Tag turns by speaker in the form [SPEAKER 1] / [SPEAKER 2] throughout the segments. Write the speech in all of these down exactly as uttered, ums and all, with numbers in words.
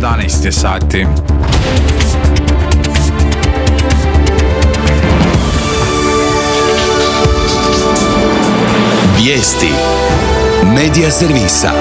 [SPEAKER 1] jedanaest je sati.
[SPEAKER 2] Vijesti Medija servisa.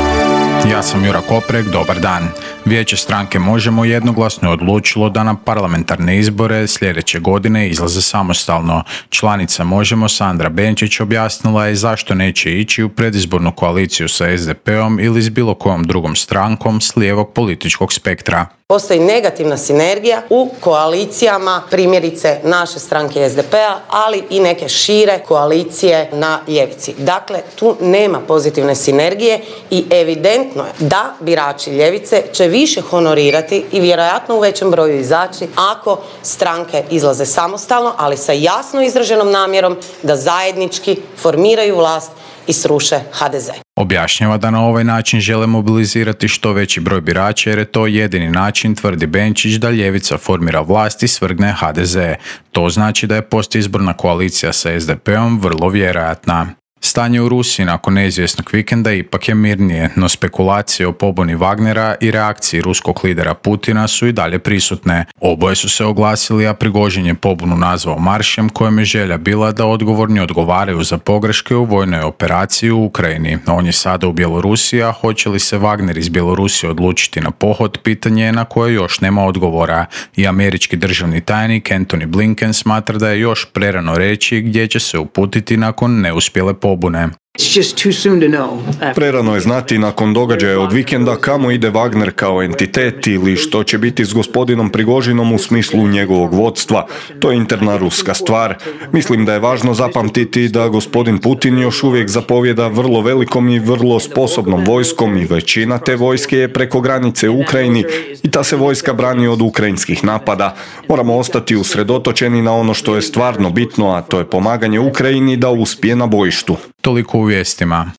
[SPEAKER 1] Ja sam Jura Koprek, dobar dan. Vijeće stranke Možemo jednoglasno je odlučilo da na parlamentarne izbore sljedeće godine izlaze samostalno. Članica Možemo Sandra Benčić objasnila je zašto neće ići u predizbornu koaliciju sa es de peom ili s bilo kojom drugom strankom s lijevog političkog spektra.
[SPEAKER 3] Postoji negativna sinergija u koalicijama, primjerice naše stranke es de pea, ali i neke šire koalicije na ljevici. Dakle, tu nema pozitivne sinergije i evidentno je da birači ljevice će više honorirati i vjerojatno u većem broju izaći ako stranke izlaze samostalno, ali sa jasno izraženom namjerom da zajednički formiraju vlast i sruše ha de ze.
[SPEAKER 1] Objašnjava da na ovaj način žele mobilizirati što veći broj birača jer je to jedini način, tvrdi Benčić, da ljevica formira vlast i svrgne ha de ze. To znači da je postizborna koalicija sa es de peom vrlo vjerojatna. Stanje u Rusiji nakon neizvjesnog vikenda ipak je mirnije, no spekulacije o pobuni Wagnera i reakciji ruskog lidera Putina su i dalje prisutne. Oboje su se oglasili, a Prigožin je pobunu nazvao maršem kojem je želja bila da odgovorni odgovaraju za pogreške u vojnoj operaciji u Ukrajini. On je sada u Bjelorusiji, a hoće li se Wagner iz Bjelorusije odlučiti na pohod, pitanje je na koje još nema odgovora. I američki državni tajnik Antony Blinken smatra da je još prerano reći gdje će se uputiti nakon neuspjele pobune.
[SPEAKER 4] Prerano je znati nakon događaja od vikenda kamo ide Wagner kao entitet ili što će biti s gospodinom Prigožinom u smislu njegovog vodstva. To je interna ruska stvar. Mislim da je važno zapamtiti da gospodin Putin još uvijek zapovjeda vrlo velikom i vrlo sposobnom vojskom i većina te vojske je preko granice u Ukrajini i ta se vojska brani od ukrajinskih napada. Moramo ostati usredotočeni na ono što je stvarno bitno, a to je pomaganje Ukrajini da uspije na bojištu.
[SPEAKER 1] Toliko u vijestima.